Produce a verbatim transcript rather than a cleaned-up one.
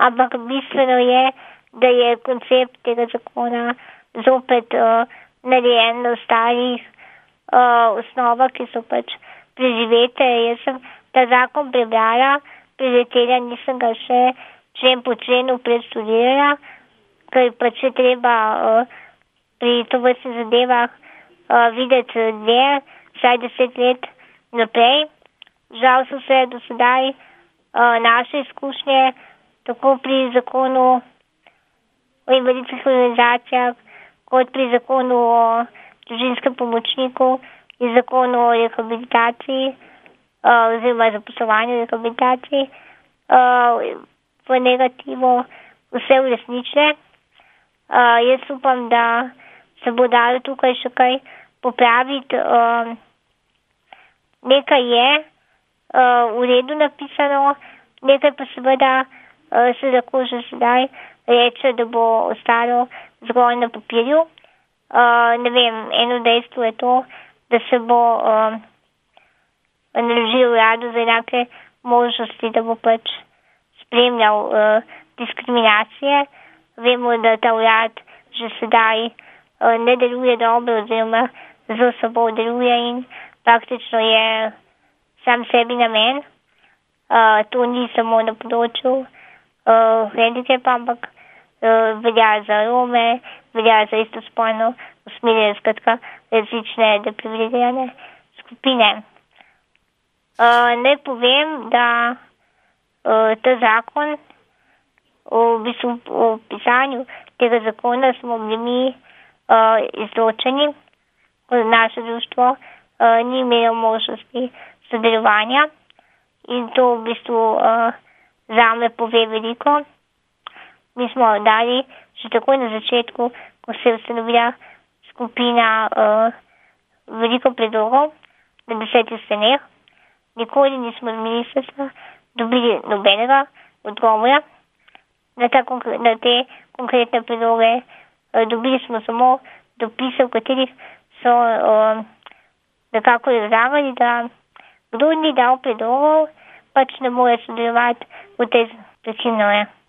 ampak bistveno je, da je koncept tega zakona zopet uh, narejen na ostalih uh, osnovah, ki so pač preživete. Jaz sem ta zakon prebrala, preletela, nisem ga še člen po členu predštudirala, ker pač je treba uh, pri tovrstnih zadevah uh, videti dve, vsaj deset let naprej. Žal so se do sedaj uh, naše izkušnje tako pri zakonu o invalidskih organizacijah, kot pri zakonu o družinskem pomočniku in zakonu o rehabilitaciji uh, oziroma zaposlovanju rehabilitaciji uh, v negativu vse uresničile. Uh, jaz upam, da se bo dalo tukaj še kaj popraviti. Uh, nekaj je uh, v redu napisano, nekaj pa seveda uh, se lahko že sedaj reče, da bo ostalo zgolj na papirju. Uh, ne vem, eno dejstvo je to, da se bo uh, naložil uradu za enake možnosti, da bo pač spremljal uh, diskriminacije. Vemo, da ta urad že sedaj uh, ne deluje dobro oziroma zelo slabo deluje in praktično je sam sebi namen. Uh, to ni samo na področju uh, hendikepa, ampak uh, velja za Rome, velja za istospolno usmerjene, skratka različne deprivilegirane skupine. Uh, naj povem, da uh, ta zakon, v bistvu v pisanju tega zakona smo bili mi uh, izločeni, ko naše društvo uh, ni imelo možnosti sodelovanja in to v bistvu uh, zame pove veliko. Mi smo dali že takoj na začetku, ko se je ustanovila skupina, uh, veliko predlogov na desetih straneh. Nikoli nismo z ministrstva dobili nobenega odgovora na, ta, na te konkretne predloge. Uh, dobili smo samo dopise, v katerih so uh, nekako razlagali, da kdo ni dal predlogov, pač ne more sodelovati v tej začinu.